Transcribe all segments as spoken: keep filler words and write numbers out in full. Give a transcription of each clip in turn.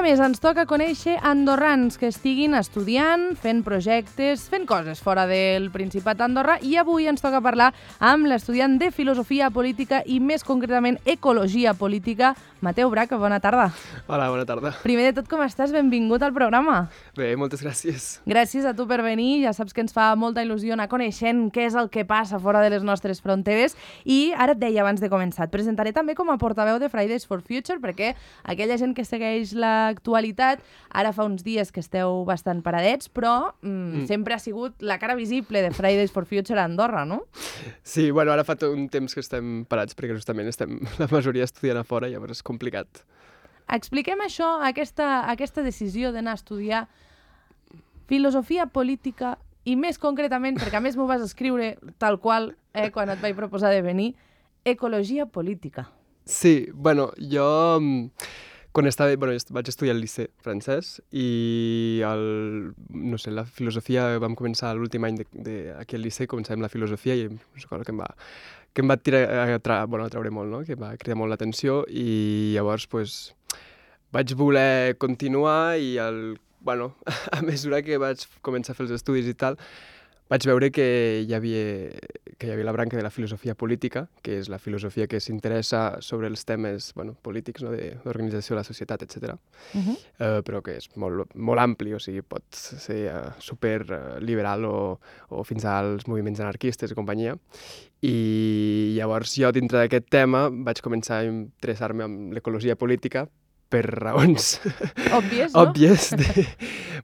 més ens toca conèixer andorrans que estiguin estudiant, fent projectes, fent coses fora del Principat d'Andorra, i avui ens toca parlar amb l'estudiant de Filosofia Política i més concretament Ecologia Política, Mateu Braca. Bona tarda. Hola, bona tarda. Primer de tot, com estàs? Benvingut al programa. Bé, moltes gràcies. Gràcies a tu per venir. Ja saps que ens fa molta il·lusió anar coneixent què és el que passa fora de les nostres fronteres. I ara et deia abans de començar, et presentaré també com a portaveu de Fridays for Future, perquè aquella gent que segueix l'actualitat, ara fa uns dies que esteu bastant paradets, però mm, mm. sempre ha sigut la cara visible de Fridays for Future a Andorra, no? Sí, bueno, ara fa un temps que estem parats, perquè justament estem la majoria estudiant a fora, llavors és complicat. Expliquem això, aquesta, aquesta decisió d'anar a estudiar Filosofia Política i més concretament, perquè a més m'ho vas escriure tal qual eh, quan et vaig proposar de venir, Ecologia Política. Sí, bueno, jo quan estava, bueno, vaig estudiar al liceu francès i el, no sé, la filosofia, vam començar l'últim any d'aquí al liceu, començàvem la filosofia i és una cosa que em va, que em va tirar, a, tra, bueno, a treure molt, no? Que em va cridar molt l'atenció i llavors pues, vaig voler continuar i el, bueno, a mesura que vaig començar a fer els estudis i tal, vaig veure que hi havia, que hi havia la branca de la filosofia política, que és la filosofia que s'interessa sobre els temes bueno, polítics, no? D'organització de la societat, etcètera. Uh-huh. uh, però que és molt, molt ampli, o sigui, pot ser uh, super uh, liberal o, o fins als moviments anarquistes i companyia. I llavors jo, dintre d'aquest tema, vaig començar a interessar-me en l'ecologia política, per raons òbvies, no? òbvies de...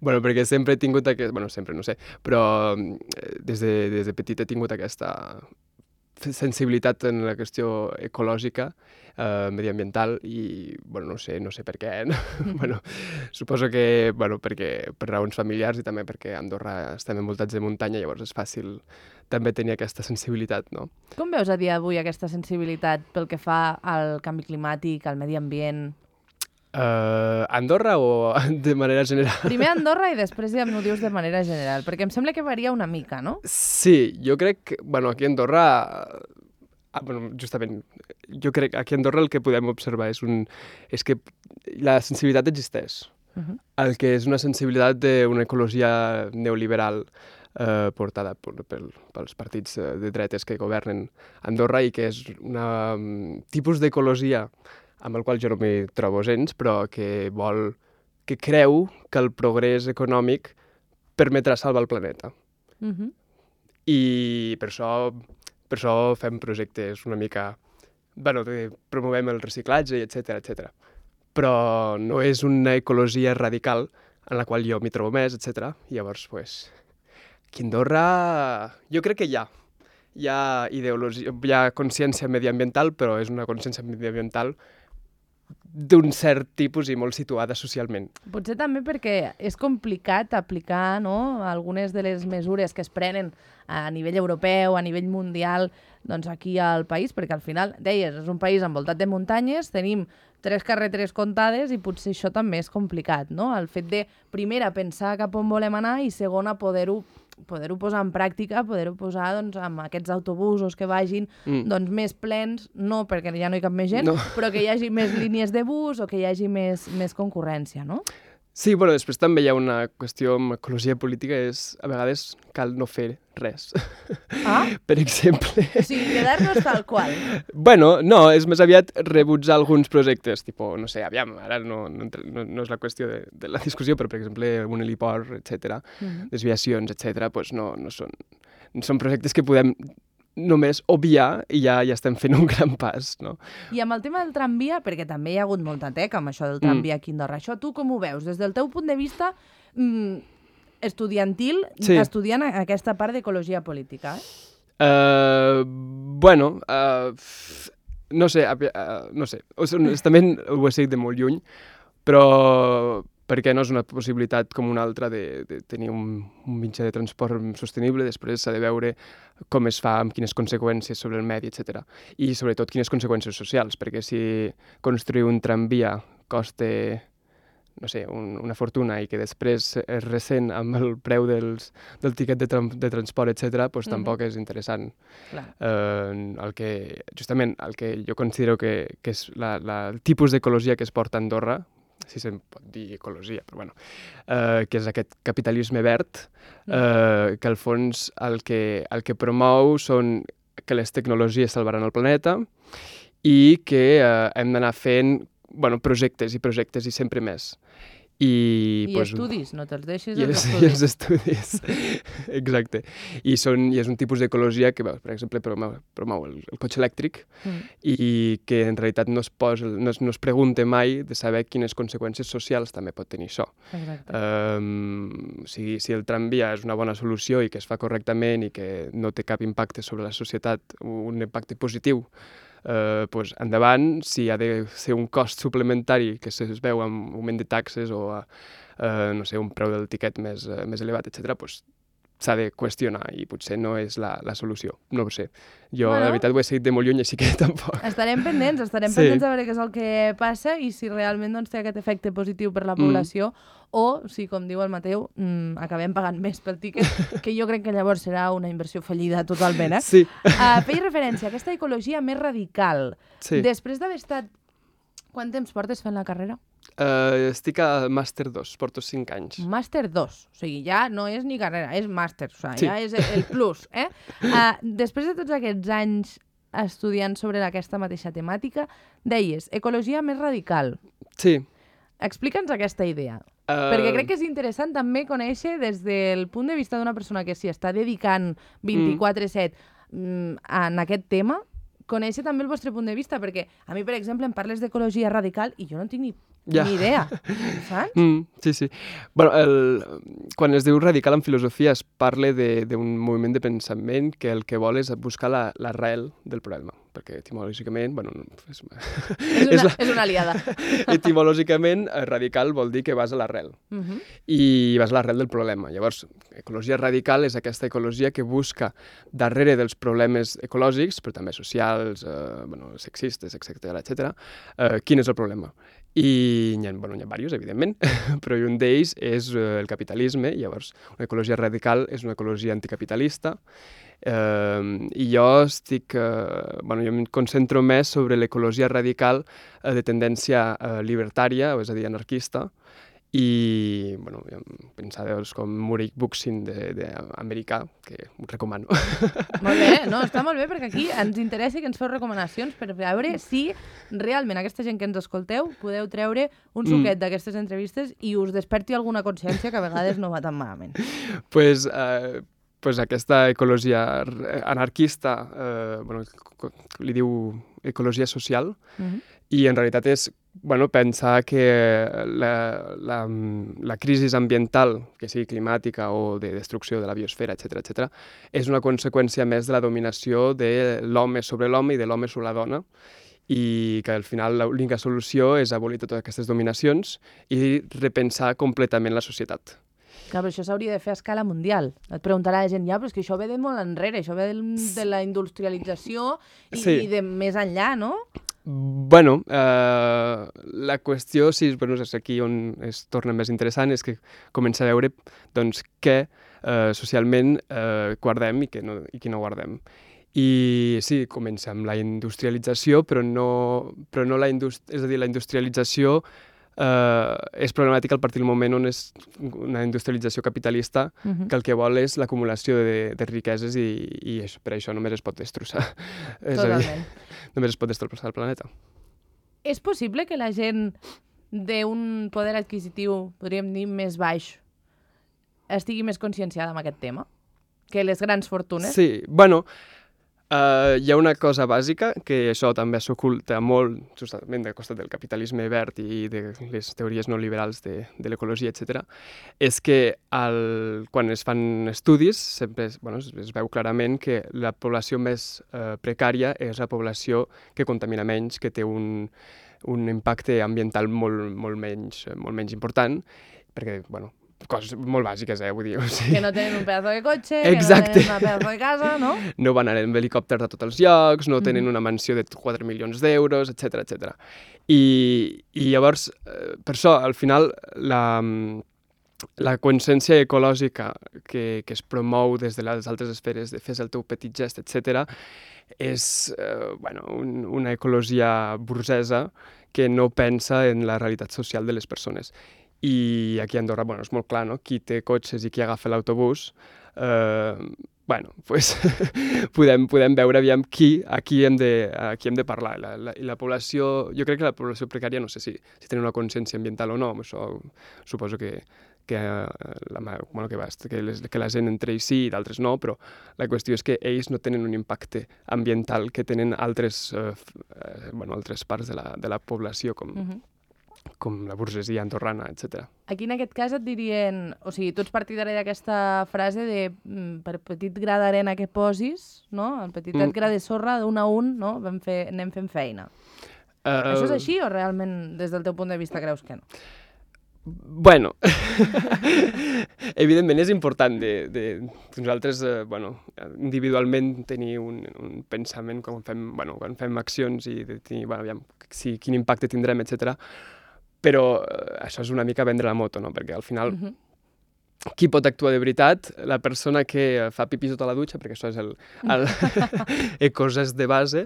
bueno, perquè sempre he tingut aquest... bueno, sempre, no sé, però des de, des de petit he tingut aquesta sensibilitat en la qüestió ecològica, eh, mediambiental, i, bueno, no sé, no sé per què, no? bueno, suposo que, bueno, perquè per raons familiars i també perquè a Andorra estem envoltats de muntanya, llavors és fàcil també tenir aquesta sensibilitat, no? Com veus a dia d'avui aquesta sensibilitat pel que fa al canvi climàtic, al medi ambient? Uh, Andorra o de manera general? Primer Andorra i després ja m'ho dius de manera general, perquè em sembla que varia una mica, no? Sí, jo crec que, bueno, aquí a Andorra, ah, bueno, justament, jo crec que aquí a Andorra el que podem observar és, un, és que la sensibilitat existeix. Uh-huh. El que és una sensibilitat d'una ecologia neoliberal eh, portada per, per, pels partits de dretes que governen Andorra i que és un tipus d'ecologia amb el qual jo no m'hi trobo gens, però que vol, que creu que el progrés econòmic permetrà salvar el planeta. Uh-huh. I per això, per això fem projectes una mica, bueno, promovem el reciclatge, etcètera, etcètera. Però no és una ecologia radical en la qual jo m'hi trobo més, etcètera. I llavors, pues, aquí a Andorra jo crec que hi ha. Hi ha ideologia, hi ha consciència mediambiental, però és una consciència mediambiental d'un cert tipus i molt situada socialment. Potser també perquè és complicat aplicar, no, algunes de les mesures que es prenen a nivell europeu, a nivell mundial, doncs aquí al país, perquè al final, deies, és un país envoltat de muntanyes, tenim tres carreteres comptades i potser això també és complicat, no? El fet de, primera, pensar cap on volem anar i, segona, poder-ho poder-ho posar en pràctica, poder-ho posar doncs, amb aquests autobusos que vagin mm. doncs, més plens, no perquè ja no hi cap més gent, no. però que hi hagi més línies de bus o que hi hagi més, més concurrència, no? Sí, bueno, després també hi ha una qüestió amb ecologia política, és a vegades cal no fer res. Ah? Per exemple... O sigui, quedar-nos tal qual. Bueno, no, és més aviat rebutjar alguns projectes, tipus, no sé, aviam, ara no, no, no, no és la qüestió de, de la discussió, però, per exemple, un heliport, etcètera, uh-huh. desviacions, etcètera, doncs no, no són, no són projectes que podem només obviar i ja, ja estem fent un gran pas, no? I amb el tema del tramvia, perquè també hi ha hagut molta teca amb això del tramvia mm. aquí a Andorra, això tu com ho veus? Des del teu punt de vista mm, estudiantil, sí. estudiant aquesta part d'ecologia política, eh? Uh, bueno, uh, no sé, uh, no sé, honestament ho he seguit de molt lluny, però perquè no és una possibilitat com una altra de, de tenir un, un mitjà de transport sostenible, després s'ha de veure com es fa, amb quines conseqüències sobre el medi, etcètera. I sobretot quines conseqüències socials, perquè si construir un tramvia costa, no sé, un, una fortuna i que després es ressent amb el preu dels, del tiquet de, tra de transport, etcètera, doncs mm-hmm. tampoc és interessant. Eh, el que, justament, el que jo considero que, que és la, la, el tipus d'ecologia que es porta a Andorra, si se'n pot dir ecologia, però bueno, eh, que és aquest capitalisme verd, eh, que al fons el que, el que promou són que les tecnologies salvaran el planeta i que eh, hem d'anar fent bueno, projectes i projectes i sempre més. I, I pues, estudis, no te'ls deixis I els els, estudis. i els estudis, exacte. I, són, I és un tipus d'ecologia que, per exemple, promou, promou el, el cotxe elèctric mm. i que en realitat no es, posa, no, es, no es pregunta mai de saber quines conseqüències socials també pot tenir això. Exacte. Um, si, si el tramvia és una bona solució i que es fa correctament i que no té cap impacte sobre la societat, un impacte positiu, Uh, pues, endavant, si ha de ser un cost suplementari que es veu amb augment de taxes o uh, no sé, un preu del tiquet més, uh, més elevat, etcètera, pues, s'ha de qüestionar i potser no és la, la solució. No ho sé. Jo, bueno, la veritat, ho he seguit de molt lluny, així que tampoc. Estarem pendents, estarem sí. pendents a veure què és el que passa i si realment doncs, té aquest efecte positiu per la població mm. o si, com diu el Mateu, mmm, acabem pagant més pel tiquet, que jo crec que llavors serà una inversió fallida totalment. Eh? Sí. Uh, feia referència a aquesta ecologia més radical. Sí. Després d'haver estat... Quant temps portes fent la carrera? Uh, estic a màster dos, porto cinc anys. Màster dos, o sigui, ja no és ni carrera, és màster, o sigui, sí. ja és el plus. Eh? Uh, després de tots aquests anys estudiant sobre aquesta mateixa temàtica, deies, ecologia més radical. Sí. Explica'ns aquesta idea, uh... perquè crec que és interessant també conèixer des del punt de vista d'una persona que s'hi està dedicant vint-i-quatre set mm. en aquest tema, conèixer també el vostre punt de vista, perquè a mi, per exemple, em parles d'ecologia radical i jo no tinc ni, ja. ni idea, saps? Mm, sí, sí. Bueno, el, quan es diu radical en filosofia es parla d'un moviment de pensament que el que vol és buscar l'arrel la, del problema, perquè etimològicament... Bueno, és, és, una, és, la, és una aliada. Etimològicament, radical vol dir que vas a l'arrel, uh -huh. i vas a l'arrel del problema. Llavors, ecologia radical és aquesta ecologia que busca darrere dels problemes ecològics, però també socials, eh, bueno, sexistes, etcètera, etcètera, eh, quin és el problema. I hi ha, bueno, hi ha diversos, evidentment, però un d'ells és eh, el capitalisme. Llavors, una ecologia radical és una ecologia anticapitalista, Uh, i jo estic, uh, bueno, jo em concentro més sobre l'ecologia radical uh, de tendència uh, libertària, és a dir, anarquista, i bueno, pensadors com Muriel Bookchin d'americà, que us recomano. Molt bé, no, està molt bé, perquè aquí ens interessa que ens feu recomanacions per veure si realment aquesta gent que ens escolteu podeu treure un suquet mm. d'aquestes entrevistes i us desperti alguna consciència que a vegades no va tan malament. Pues... Uh, pues aquesta ecologia anarquista, eh, bueno, li diu ecologia social, uh-huh. i en realitat és bueno, pensar que la, la, la crisi ambiental, que sigui climàtica o de destrucció de la biosfera, etcètera, etcètera, és una conseqüència més de la dominació de l'home sobre l'home i de l'home sobre la dona, i que al final l'única solució és abolir totes aquestes dominacions i repensar completament la societat. Clar, però això s'hauria de fer a escala mundial. Et preguntarà la gent, ja, però és que això ve de molt enrere, això ve de, de la industrialització i, sí. i de més enllà, no? Bueno, eh, la qüestió, sí, bueno, és aquí on es torna més interessant, és que comença a veure doncs, què eh, socialment eh, guardem i què no, i què no guardem. I sí, comença amb la industrialització, però no, però no la, indust- és a dir, la industrialització Uh, és problemàtica a partir del moment on és una industrialització capitalista uh-huh. que el que vol és l'acumulació de, de riqueses i, i això, per això només es pot destrossar. Totalment. És a dir, només es pot destrossar el planeta. És possible que la gent d'un poder adquisitiu, podríem dir, més baix, estigui més conscienciada amb aquest tema que les grans fortunes? Sí, bueno... Uh, hi ha una cosa bàsica, que això també s'oculta molt, justament del costat del capitalisme verd i de les teories no liberals de, de l'ecologia, etcètera, és que el, quan es fan estudis sempre es, bueno, es, es veu clarament que la població més uh, precària és la població que contamina menys, que té un, un impacte ambiental molt, molt, menys, molt menys important, perquè, bueno, coses molt bàsiques, eh, vull dir. O sigui... Que no tenen un pedazo de cotxe, exacte. Que no tenen una pedazo de casa, no? No van anar amb helicòpters a tots els llocs, no tenen mm-hmm. una mansió de quatre milions d'euros, etcètera, etcètera. I, I llavors, eh, per això, al final, la, la consciència ecològica que, que es promou des de les altres esferes, de fes el teu petit gest, etcètera, és eh, bueno, un, una ecologia burgesa que no pensa en la realitat social de les persones. I aquí a Andorra, bueno, és molt clar, no? Qui té cotxes i qui agafa l'autobús, eh, bueno, pues, podem, podem veure aviam qui, a qui hem de, a qui hem de parlar. La, la, I la població, jo crec que la població precària, no sé si, si tenen una consciència ambiental o no, això suposo que, que, la, bueno, que, va, que, les, que la gent entre ells sí i d'altres no, però la qüestió és que ells no tenen un impacte ambiental que tenen altres, eh, bueno, altres parts de la, de la població, com, uh-huh. com la burgesia andorrana, etcètera. Aquí en aquest cas et dirien, o sigui, tu ets partidari d'aquesta frase de per petit gra d'arena que posis, no? El petitet mm. gra de sorra, d'un a un, no? Vam fer, anem fent feina. Uh, Això és així o realment des del teu punt de vista creus que no? Bueno, evidentment és important de, de nosaltres, eh, bueno, individualment tenir un, un pensament quan fem, bueno, quan fem accions i de tenir, bueno, aviam, si, quin impacte tindrem, etcètera. Però eh, això és una mica vendre la moto, no? Perquè al final, uh-huh. qui pot actuar de veritat? La persona que fa pipí sota la dutxa, perquè això és el, el coses de base,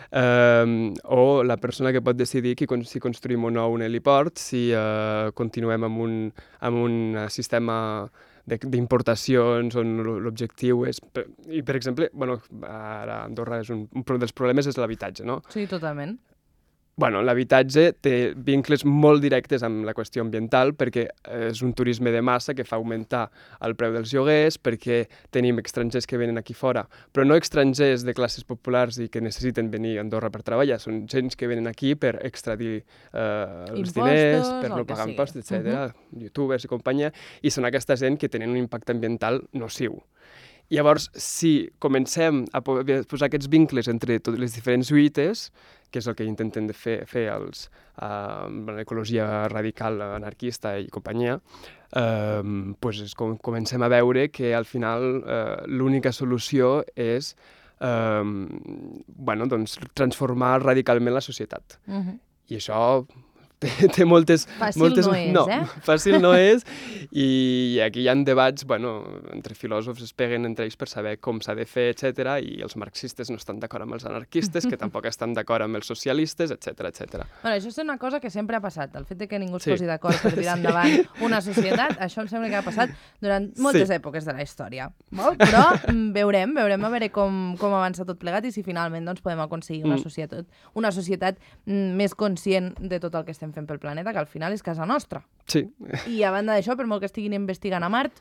eh, o la persona que pot decidir qui, si construïm o no un heliport, si eh, continuem amb un, amb un sistema d'importacions on l'objectiu és... I, per exemple, bueno, ara a Andorra és un, un dels problemes és l'habitatge, no? Sí, totalment. Bueno, l'habitatge té vincles molt directes amb la qüestió ambiental perquè és un turisme de massa que fa augmentar el preu dels lloguers, perquè tenim estrangers que venen aquí fora, però no estrangers de classes populars i que necessiten venir a Andorra per treballar, són gent que venen aquí per extradir eh, els impostos, diners, per no pagar impostos, etcètera, uh-huh. youtubers i companyia, i són aquesta gent que tenen un impacte ambiental nociu. Llavors, si comencem a posar aquests vincles entre totes les diferents lluites, que és el que intenten de fer, fer els, uh, l'ecologia radical, anarquista i companyia, uh, pues és com comencem a veure que al final uh, l'única solució és uh, bueno, doncs, transformar radicalment la societat. Uh-huh. I això... Té, té moltes... Fàcil moltes, no és, no, eh? Fàcil no és, i aquí hi ha debats, bueno, entre filòsofs es peguen entre ells per saber com s'ha de fer, etcètera, i els marxistes no estan d'acord amb els anarquistes, que tampoc estan d'acord amb els socialistes, etcètera, etcètera. Bueno, això és una cosa que sempre ha passat, el fet de que ningú es sí. posi d'acord per tirar endavant una societat, això em sembla que ha passat durant moltes sí. èpoques de la història. Molt, però veurem, veurem a veure com, com avança tot plegat i si finalment doncs, podem aconseguir una societat, una societat més conscient de tot el que estem fent pel planeta, que al final és casa nostra. Sí. I a banda d'això, per molt que estiguin investigant a Mart,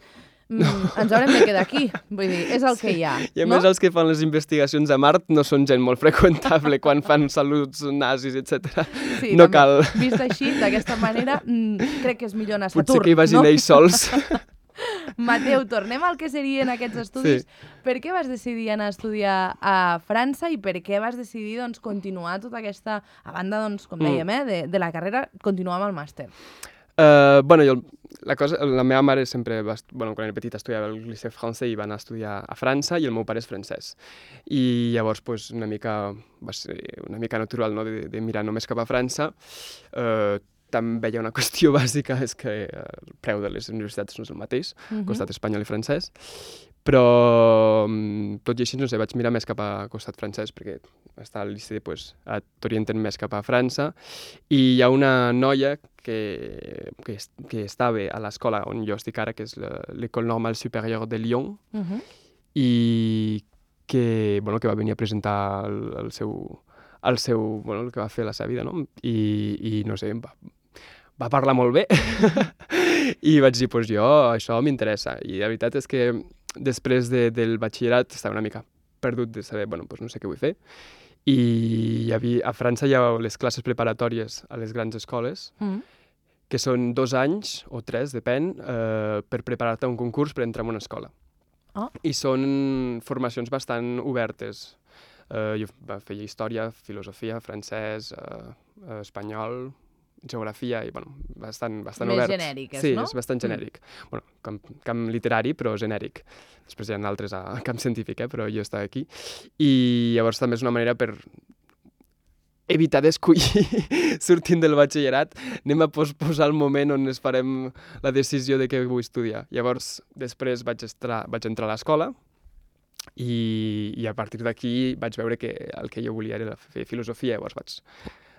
mm, ens haurem de quedar aquí. Vull dir, és el sí. que hi ha. I a no? més els que fan les investigacions a Mart no són gent molt freqüentable quan fan saluts nazis, etcètera. Sí, no també. Cal... Vist així, d'aquesta manera, mm, crec que és millor anar a Saturn. Potser que hi vagin no? ells sols. Mateu, tornem al que serien aquests estudis. Sí. Per què vas decidir anar a estudiar a França i per què vas decidir doncs, continuar tota aquesta, a banda, doncs, com dèiem, eh, de, de la carrera, continuar amb el màster? Uh, bueno, jo, la, cosa, la meva mare sempre, va, bueno, quan era petita estudiava al Lycée Français i va anar a estudiar a França i el meu pare és francès. I llavors pues, una mica, va ser una mica natural, no?, de, de mirar només cap a França. Uh, també hi ha una qüestió bàsica, és que el preu de les universitats no és el mateix, uh-huh. costat espanyol i francès, però tot i així, no sé, vaig mirar més cap a costat francès, perquè està al Liceu, pues, t'orienten més cap a França, i hi ha una noia que, que, que estava a l'escola on jo estic ara, que és l'École Normale Supérieure de Lyon, uh-huh. i que, bueno, que va venir a presentar el, el seu... el seu, bueno, el que va fer la seva vida, no? I, i no sé, va, va parlar molt bé i vaig dir, pues jo, això m'interessa. I la veritat és que després de, del batxillerat estava una mica perdut de saber, bueno, pues no sé què vull fer. I hi havia, a França hi ha les classes preparatòries a les grans escoles, mm. que són dos anys o tres, depèn, eh, per preparar-te a un concurs per entrar en una escola. Oh. I són formacions bastant obertes. Uh, jo feia història, filosofia, francès, uh, uh, espanyol, geografia, i bueno, bastant, bastant Més obert. Més genèriques, sí, no? Sí, és bastant genèric. Mm. Bueno, camp, camp literari, però genèric. Després hi ha altres a camp científic, eh, però jo estava aquí. I llavors també és una manera per evitar d'escollir sortint del batxillerat, anem a posposar el moment on es farem la decisió de què vull estudiar. Llavors, després vaig, estar, vaig entrar a l'escola, I, i a partir d'aquí vaig veure que el que jo volia era fer filosofia, llavors vaig,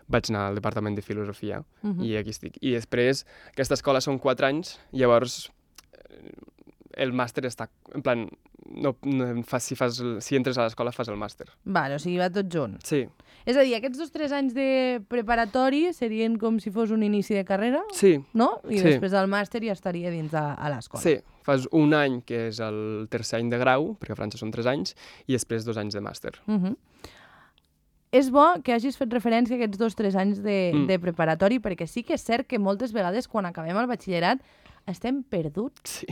vaig anar al departament de filosofia Mhm. i aquí estic. I després, aquesta escola són quatre anys, llavors eh, el màster està, en plan, no, no, fas, si, fas, el- si entres a l'escola fas el màster. Vale, o sigui, va tot junt. Sí, És a dir, aquests dos tres anys de preparatori serien com si fos un inici de carrera, sí, no? I Sí. després el màster ja estaria dins a, a l'escola. sí. Fas un any, que és el tercer any de grau, perquè a França són tres anys, i després dos anys de màster. Mhm. És bo que hagis fet referència a aquests dos tres anys de, Mm. de preparatori, perquè sí que és cert que moltes vegades quan acabem el batxillerat estem perduts, Sí.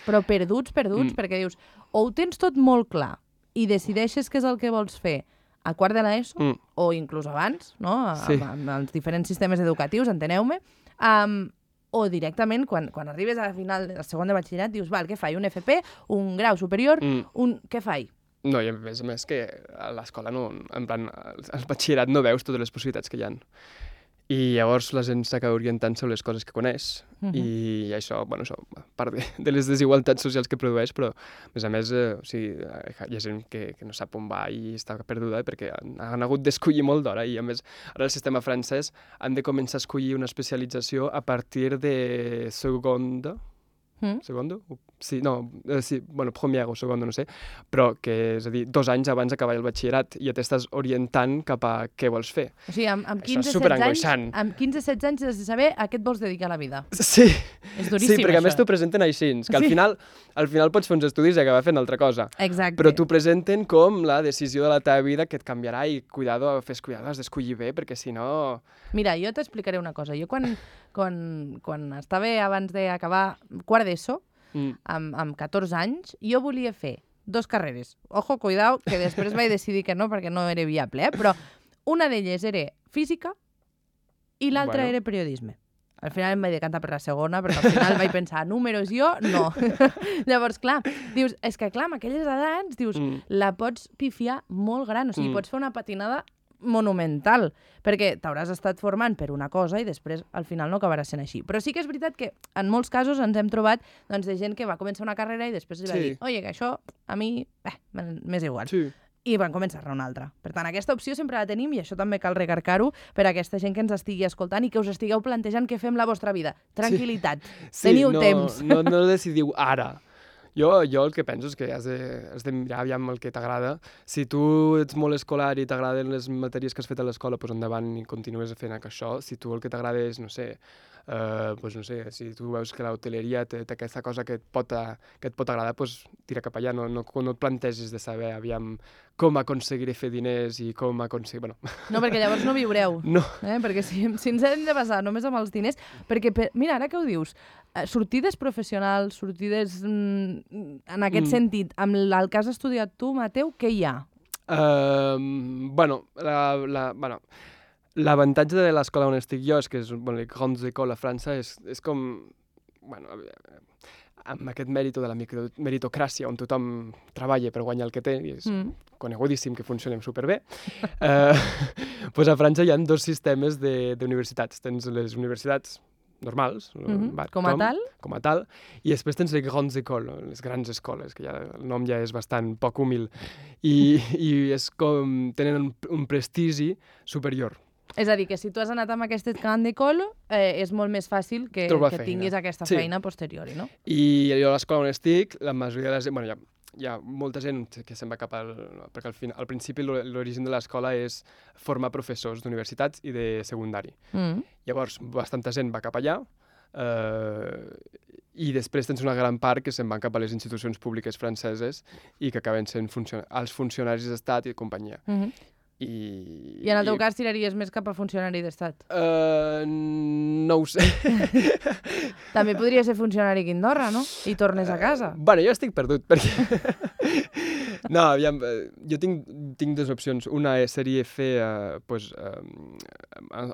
però perduts, perduts, Mm. perquè dius, o ho tens tot molt clar i decideixes què és el que vols fer a quart de l'ESO, Mm. o inclús abans, no? Sí. amb, amb els diferents sistemes educatius, enteneu-me, um, o directament, quan, quan arribes a la final del segon de batxillerat, dius, val, què faig? Un F P, un grau superior, Mm. un... què faig? No, i a més a més que a l'escola no, en plan, al al batxillerat no veus totes les possibilitats que hi ha. I llavors la gent s'acaba orientant sobre les coses que coneix Mhm. i això, bueno, això, a part de, de les desigualtats socials que produeix, però a més a més, eh, o sigui, hi ha gent que, que no sap on va i està perduda perquè han, han hagut d'escollir molt d'hora i a més ara el sistema francès han de començar a escollir una especialització a partir de segonda, Mm? segundo? Sí, no, eh, sí, bueno, primer o segundo, no sé, però que, és a dir, dos anys abans d'acabar el batxillerat i ja t'estàs orientant cap a què vols fer. O sigui, amb, amb Això és quinze setze anys, superangoixant. amb quinze setze anys has de saber a què et vols dedicar a la vida. Sí, És duríssim, sí, perquè a més això. t'ho presenten així, que al Sí. final, al final pots fer uns estudis i acabar fent altra cosa. Exacte. Però t'ho presenten com la decisió de la teva vida que et canviarà i cuidado, fes cuidado, has d'escollir bé, perquè si no... Mira, jo t'explicaré una cosa. Jo quan, quan, quan estava abans d'acabar quart d'ESO, Mm. amb, amb catorze anys, jo volia fer dos carreres. Ojo, cuidao, que després vaig decidir que no, perquè no era viable, eh? Però una d'elles era física i l'altra Bueno. era periodisme. Al final em vaig decantar per la segona, perquè al final vaig pensar, números jo, no. Llavors, clar, dius, és que clar, amb aquelles edats, dius, Mm. la pots pifiar molt gran, o sigui, Mm. pots fer una patinada monumental, perquè t'hauràs estat formant per una cosa i després al final no acabarà sent així. Però sí que és veritat que en molts casos ens hem trobat doncs, de gent que va començar una carrera i després li va Sí. dir, oye, que això a mi eh, m'és igual. Sí. I van començar-ne una altra. Per tant, aquesta opció sempre la tenim i això també cal recarcar-ho per a aquesta gent que ens estigui escoltant i que us estigueu plantejant què fem la vostra vida. Tranquil·litat. Sí, Teniu no, temps. No, no decidiu ara. Jo, jo el que penso és que has de, has de mirar aviam el que t'agrada. Si tu ets molt escolar i t'agraden les matèries que has fet a l'escola, doncs endavant i continues fent això. Si tu el que t'agrada és, no sé, Uh, pues no sé, si tu veus que l'hoteleria té, té aquesta cosa que et pot, a, que et pot agradar, pues tira cap allà, no, no, no et plantegis de saber aviam com aconseguiré fer diners i com aconseguir... Bueno. No, perquè llavors no viureu. No. Eh? Perquè si, si ens hem de basar només amb els diners... Perquè, per, mira, ara que ho dius, eh, sortides professionals, sortides mm, en aquest Mm. sentit, amb el que has estudiat tu, Mateu, què hi ha? Uh, bueno, la, la, bueno, l'avantatge de l'escola on estic jo és que és bueno, les grandes écoles a França és, és com, bueno, amb aquest mèrit de la micro, meritocràcia on tothom treballa per guanyar el que té i és Mm. conegudíssim que funcionem superbé. uh, pues a França hi ha dos sistemes d'universitats. Tens les universitats normals, Mm-hmm. va, Com a tothom, tal? com a tal, i després tens les grandes écoles, les grans escoles, que ja el nom ja és bastant poc humil, i, i és com, tenen un, un prestigi superior. És a dir, que si tu has anat amb aquest camp d'école, eh, és molt més fàcil que, Trobar que feina. tinguis aquesta Sí. feina posteriori, no? I jo a l'escola on estic, la majoria de la gent, bueno, hi ha, hi ha molta gent que se'n va cap al... perquè al, final, al principi l'o- l'origen de l'escola és formar professors d'universitats i de secundari. Mm. Llavors, bastanta gent va cap allà, eh, i després tens una gran part que se'n van cap a les institucions públiques franceses i que acaben sent funcio els funcionaris d'estat i companyia. Mm-hmm. I, I en el teu cas tiraries més cap a funcionari d'estat? Uh, no ho sé. També podria ser funcionari aquí a Andorra, no? I tornes a casa. Bueno, jo estic perdut, perquè... no, aviam, eh, jo tinc, tinc dues opcions. Una seria fer, uh, pues, uh,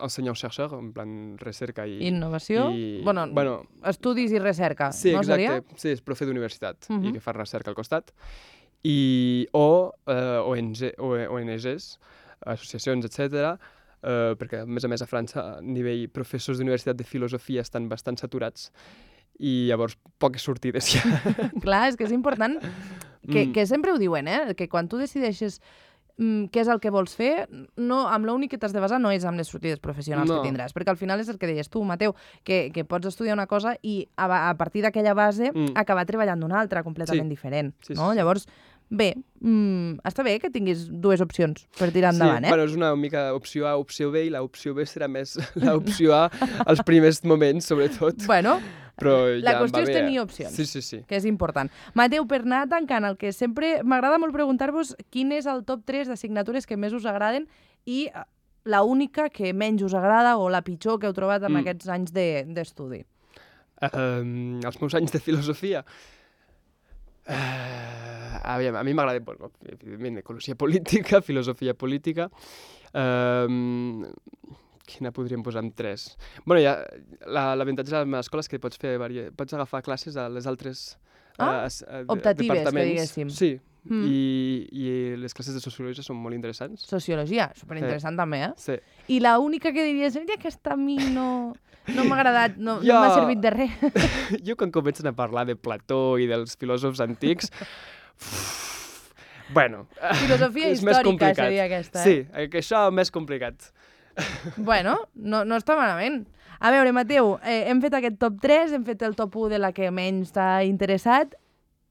enseignant-chercheur, en plan recerca i... Innovació? I, Bueno, bueno, estudis i recerca, sí, no exacte. seria? Sí, és profe d'universitat Mhm. i que fa recerca al costat. I, o uh, O N G, o, O N Gs, associacions, etcètera, uh, perquè a més a més a França a nivell professors d'universitat de filosofia estan bastant saturats i llavors poques sortides ja. Clar, és que és important, que, Mm. que sempre ho diuen, eh? Que quan tu decideixes mm, què és el que vols fer, no, amb l'únic que t'has de basar no és amb les sortides professionals No. que tindràs, perquè al final és el que deies tu, Mateu, que, que pots estudiar una cosa i a, a partir d'aquella base Mm. acabar treballant d'una altra completament Sí. diferent. Sí, sí, no? sí. Llavors, bé, mm, està bé que tinguis dues opcions per tirar endavant, sí, eh? bueno, és una mica opció A, opció B, i l'opció B serà més l'opció A als primers moments, sobretot. Bueno, Però la ja em qüestió va és bé, tenir eh? opcions. Sí, sí, sí. que és important. Mateu, per anar tancant, el que sempre m'agrada molt preguntar-vos quin és el top tres d'assignatures que més us agraden i eh, la única que menys us agrada o la pitjor que heu trobat en Mm. aquests anys de- d'estudi. Um, els meus anys de filosofia... Uh, aviam, a mi m'agrada, bueno, evidentment, ecologia política, filosofia política... Um, quina podríem posar en tres? Bueno, ja, la- l'avantatge de la meva escola és que pots, fer varia... pots agafar classes a les altres Ah, eh, es- eh, de- optatives, que departaments. diguéssim. Sí, Mm. I, i les classes de sociologia són molt interessants. Sociologia, superinteressant també, eh? Sí. I la única que diries, "Mira, aquesta a mi no, no m'ha agradat, no, no Jo- m'ha servit de res." Jo quan comencen a parlar de Plató i dels filòsofs antics... uf, bueno, Filosofia és més històrica complicat. seria aquesta, eh? Sí, eh, que això és més complicat. Bueno, no, no està malament. A veure, Mateu, eh, hem fet aquest top tres, hem fet el top u de la que menys t'ha interessat.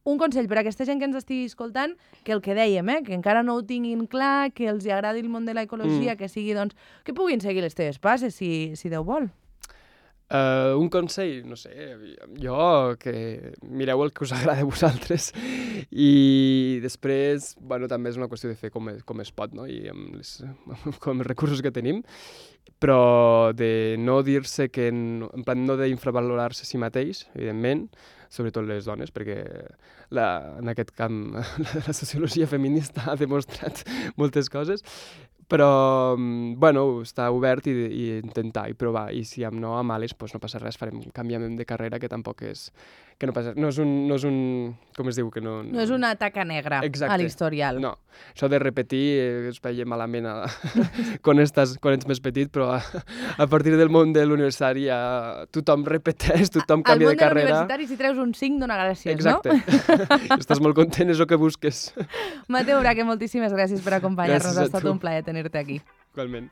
Un consell per a aquesta gent que ens estigui escoltant, que el que dèiem, eh, que encara no ho tinguin clar, que els hi agradi el món de l'ecologia, Mm. que sigui, doncs, que puguin seguir les teves passes, si, si Déu vol. Uh, un consell, no sé, jo, que mireu el que us agrada a vosaltres i després, bueno, també és una qüestió de fer com es, com es pot, no? I amb, les, com els recursos que tenim, però de no dir-se que, no, en plan, no d'infravalorar-se a si mateix, evidentment, sobretot les dones, perquè la, en aquest camp la sociologia feminista ha demostrat moltes coses, però, bueno, està obert i, i intentar i provar, i si amb no a males, doncs no passa res, farem canviament de carrera, que tampoc és... que no passa res. No és un... No és un com es diu? Que no, No és una taca negra Exacte. a l'historial. No, això de repetir eh, es veia malament a, quan, estàs, quan ets més petit, però a, a partir del món de l'universitari ja tothom repeteix, tothom Al canvia món de de carrera. l'universitari, si treus un cinc, dona gràcies, Exacte. no? Estàs molt content, és el que busques. Mateu Braque, moltíssimes gràcies per acompanyar-nos. Gràcies a Ha estat tu. un plaer tenir-te aquí. Igualment.